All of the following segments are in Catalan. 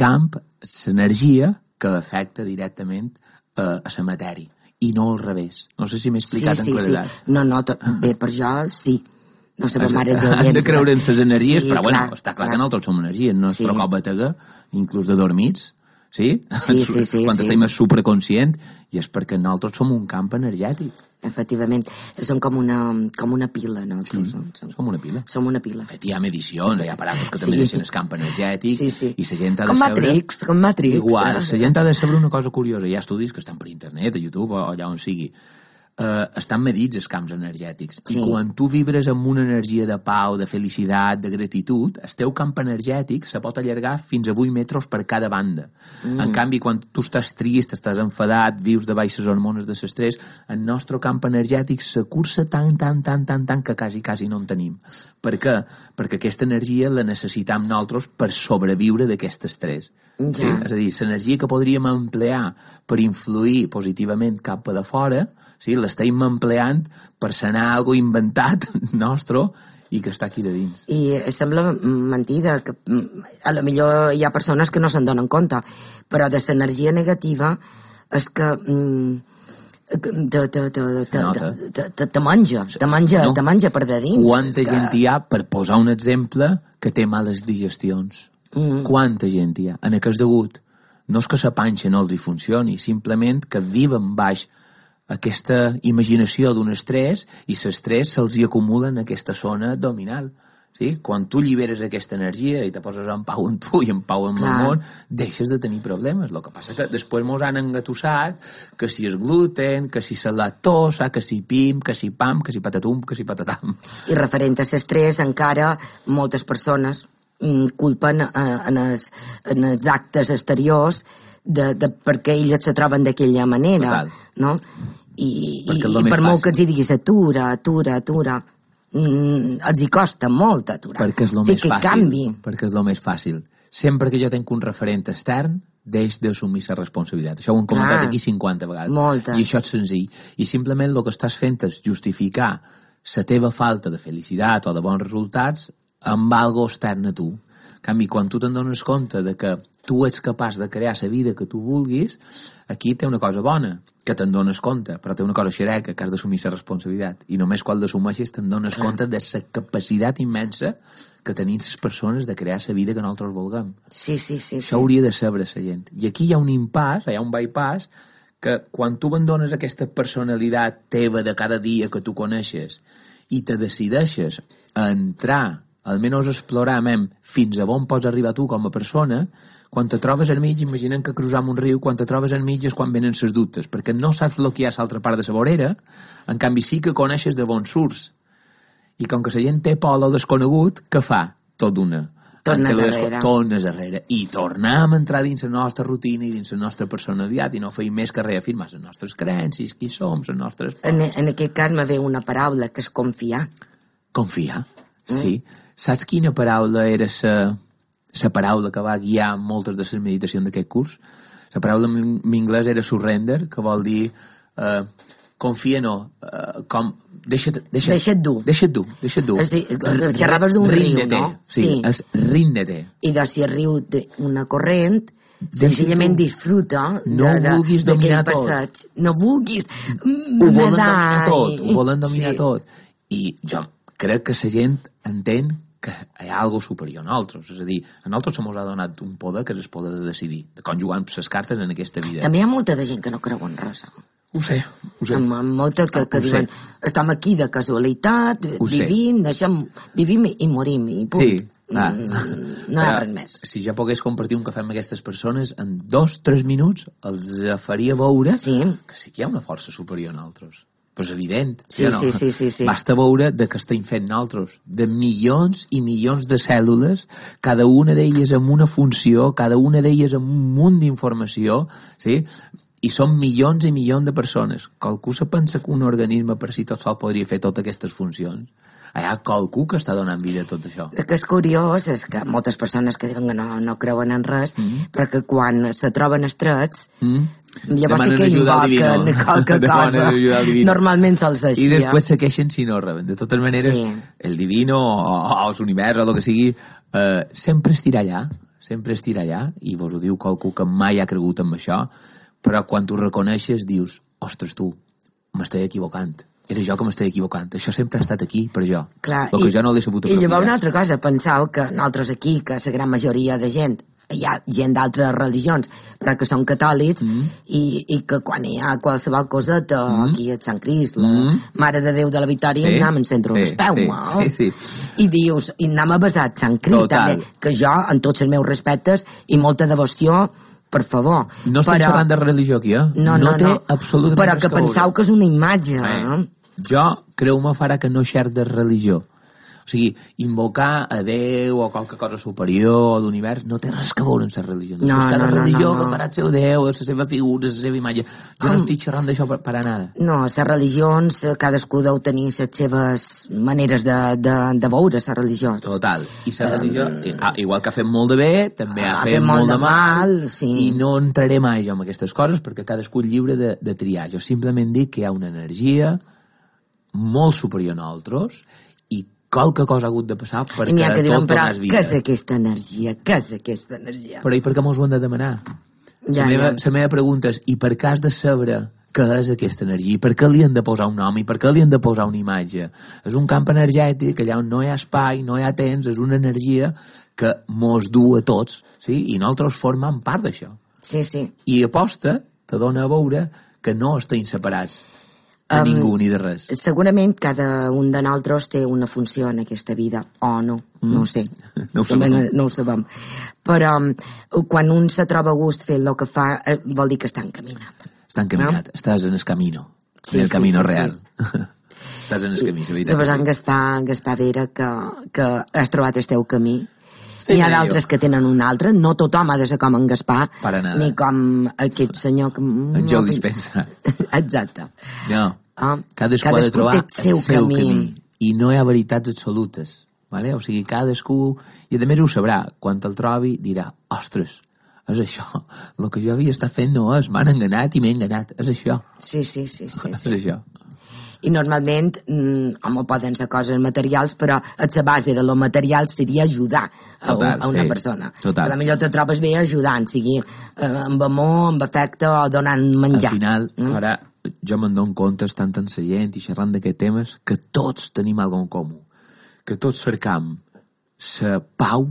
camp, l'energia que afecta directament a la matèria, i no al revés. No sé si m'he explicat en claredat. Sí. No, bé, per jo sí. No sé, mare han de creure en les energies, però bueno, està clar que nosaltres som energies, no és Sí. prou cop batega, inclús de dormits, sí? Sí, Quan estem supraconscient, i és perquè nosaltres som un camp energètic. Efectivament, som com una pila, nosaltres. Som una pila. Som una pila. De fet, hi ha medicions, hi ha aparatos que també deixen el camp energètic, Sí. i la gent ha de Com saber... Com Matrix. Igual, la gent ha de saber una cosa curiosa. Hi ha estudis que estan per internet, a YouTube o allà on sigui. Estan medits els camps energètics. Sí. I quan tu vibres amb una energia de pau, de felicitat, de gratitud, el teu camp energètic se pot allargar fins a 8 metres per cada banda. En canvi, quan tu estàs trist, estàs enfadat, vius de baixes hormones de l'estrès, el nostre camp energètic se cursa tant que quasi no en tenim. Per què? Perquè aquesta energia la necessitam nosaltres per sobreviure d'aquest estrès. Ja. Sí? És a dir, l'energia que podríem emplear per influir positivament cap a de fora, sí, l'estem empleant per sanar algo inventat nostre i que està aquí de dins. I sembla mentida, que a lo millor hi ha persones que no se'n donen compte, però de l'energia negativa és que te menja per de dins. Quanta gent hi ha, per posar un exemple, que té males digestions? Quanta gent hi ha? En què és degut? No és que la panxa no els hi funcioni, simplement que viven baix aquesta imaginació d'un estrès i l'estrès se'ls hi acumula en aquesta zona abdominal. Sí? Quan tu lliberes aquesta energia i te poses en pau amb tu i en pau amb el món, deixes de tenir problemes. El que passa que després mos han engatussat que si és gluten, que si la lactosa, que si pim, que si pam, que si patatum, que si patatam. I referent a l'estrès, encara moltes persones culpen en els actes exteriors perquè ells se troben d'aquella manera. No? I per molt que els hi diguis atura, els hi costa molt aturar. Perquè és el més fàcil. Perquè és el més fàcil. Sempre que jo tenc un referent extern, deix d'assumir la responsabilitat. Això ho hem comentat aquí 50 vegades. Moltes. I això és senzill. I simplement el que estàs fent és justificar la teva falta de felicitat o de bons resultats amb algo extern a tu. En canvi, quan tu te'n dones compte de que tu ets capaç de crear la vida que tu vulguis, aquí té una cosa bona, que te'n dones compte, però té una cosa xereca, que has d'assumir la responsabilitat. I només quan l'assumeixes te'n dones compte de la capacitat immensa que tenim les persones de crear la vida que nosaltres vulguem. Sí. Això hauria de saber la gent. I aquí hi ha un impàs, hi ha un bypass, que quan tu abandones aquesta personalitat teva de cada dia que tu coneixes i te decideixes a entrar, almenys explorar fins a on pots arribar tu com a persona, quan te trobes al mig, imaginem que cruzam un riu, quan te trobes al mig és quan venen les dubtes, perquè no saps el que hi ha a l'altra part de la vorera, en canvi sí que coneixes de on surts. I com que la gent té por a lo desconegut, què fa? Tot d'una. Tornes darrere. I tornem a entrar dins la nostra rutina i dins la nostra personalitat i no feim més que reafirmar les nostres creences, qui som, les nostres... En aquest cas me ve una paraula, que és confiar. Confiar, sí. Saps quina paraula era la paraula que va guiar moltes de les meditacions d'aquest curs? La paraula en anglès era surrender, que vol dir confia no, com deixa't dur. Xerraves d'un riu, no? Sí, és ríndete. I de si el riu té una corrent, senzillament disfruta no vulguis dominar tot. No vulguis ho volen dominar tot. I jo crec que la gent entén que hi ha alguna superior a nosaltres. És a dir, a nosaltres se mos ha donat un poder que és el poder de decidir, de com jugar amb les cartes en aquesta vida. També hi ha molta de gent que no creu en res. Ho sé. Amb molta que diuen, estem aquí de casualitat, vivim i morim, i punt. Sí. No hi ha res més. Si jo pogués compartir un cafè amb aquestes persones, en 2-3 minuts els faria veure que sí que hi ha una força superior a nosaltres. Però és evident. Sí. Basta veure de què estem fent nosaltres. De milions i milions de cèl·lules, cada una d'elles amb una funció, cada una d'elles amb un munt d'informació, sí? I són milions i milions de persones. Qualcú se pensa que un organisme per si tot sol podria fer totes aquestes funcions? Hi ha qualcú que està donant vida a tot això. El que és curiós és que moltes persones que diuen que no creuen en res, però que quan se troben estrets, llavors sí que invoquen qualque cosa. Normalment se'ls així. I després se queixen si no reben. De totes maneres, el divino o l'univers o el que sigui, sempre estirà allà. sempre estirà allà, i vos ho diu qualcú que mai ha cregut en això, però quan tu reconeixes dius, ostres tu, m'estic equivocant, era jo que m'estic equivocant, això sempre ha estat aquí per jo. Clar, el que jo no l'he sabut aprofitar. I llavors una altra cosa, penseu que nosaltres aquí, que la gran majoria de gent, hi ha gent d'altres religions, però que són catòlics, i que quan hi ha qualsevol coseta, aquí a Sant Crist, la Mare de Déu de la Victòria, anem en centre els peus, i dius, i anem a besar Sant Crist, també, que jo, en tots els meus respectes, i molta devoció, per favor. No estem parlant de religió aquí, No té absolutament però que penseu que és una imatge, Jo, creu-me, farà que no xer de religió. O sigui, invocar a Déu o qualque cosa superior o l'univers no té res que veure amb la religió. Cada religió que farà el seu Déu, la seva figura, la seva imatge. Jo no estic xerrant d'això per a nada. No, les religions, cadascú deu tenir les seves maneres de veure la religió. Total. I la religió, igual que ha fet molt de bé, també ha fet molt de mal, i no entraré mai jo en aquestes coses perquè cadascú és lliure de triar. Jo simplement dic que hi ha una energia molt superior a nosaltres i qualque cosa ha hagut de passar perquè tot donés vida. Què és aquesta energia? Què és aquesta energia? Però i per què mos ho hem de demanar? La meva pregunta és, i per què has de saber què és aquesta energia? I per què li han de posar un nom? I per què li han de posar una imatge? És un camp energètic, allà on no hi ha espai, no hi ha temps, és una energia que mos du a tots, sí? I nosaltres formem part d'això. Sí, sí. I aposta te dona a veure que no estem separats de ningú ni de res. Segurament cada un de nosaltres té una funció en aquesta vida, o no, no ho sé. No ho sabem. Però quan un se troba a gust fent el que fa, vol dir que està encaminat. Està encaminat, estàs en el camino, en el camino real. Estàs en el camí, la veritat. Suposant Gaspar Vera, que has trobat el teu camí. N'hi ha d'altres que tenen un altre, no tothom ha de ser com en Gaspar, ni com aquest senyor que... En Joe Dispenza. Exacte. No, cadascú ha de trobar el seu camí. I no hi ha veritats absolutes. Vale? O sigui, cadascú... I a més ho sabrà. Quan el trobi dirà, ostres, és això. El que jo havia estat fent no és. M'han enganat i m'he enganat. És això. Sí. És això. I normalment, home, poden ser coses materials, però a la base de lo material seria ajudar a una persona. Total. A la millor te trobes bé ajudant, sigui amb amor, amb afecte o donant menjar. Al final, farà, jo me'n dono compte, estant en la gent i xerrant d'aquests temes, que tots tenim alguna cosa en comú. Que tots cercam la pau,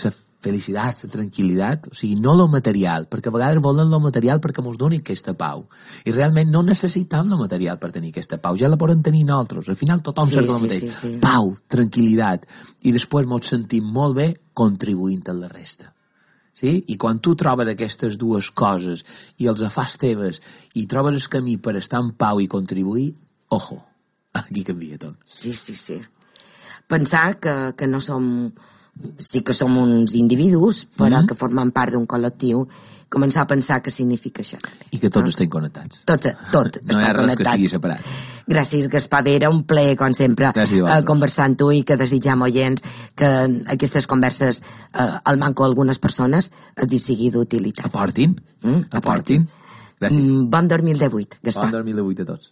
la felicitat, la tranquil·litat, o sigui, no lo material, perquè a vegades volen lo material perquè mos doni aquesta pau. I realment no necessitam lo material per tenir aquesta pau, ja la podem tenir nosaltres. Al final tothom cerca el mateix. Sí. Pau, tranquil·litat, i després mos sentim molt bé contribuint a la resta. Sí? I quan tu trobes aquestes dues coses i els fas teves i trobes el camí per estar en pau i contribuir, ojo, aquí canvia tot. Sí. Pensar que no som... Sí que som uns individus, però que formen part d'un col·lectiu, començar a pensar què significa això també. I que tots estem connectats. Tot no hi ha res que estigui separat. Gràcies, Gaspar Vera, un plaer, com sempre, conversar amb tu i que desitjam, oients, que aquestes converses al manco algunes persones els hi sigui d'utilitat. Aportin. Gràcies. Bon 2018, Gaspar. Bon 2018 a tots.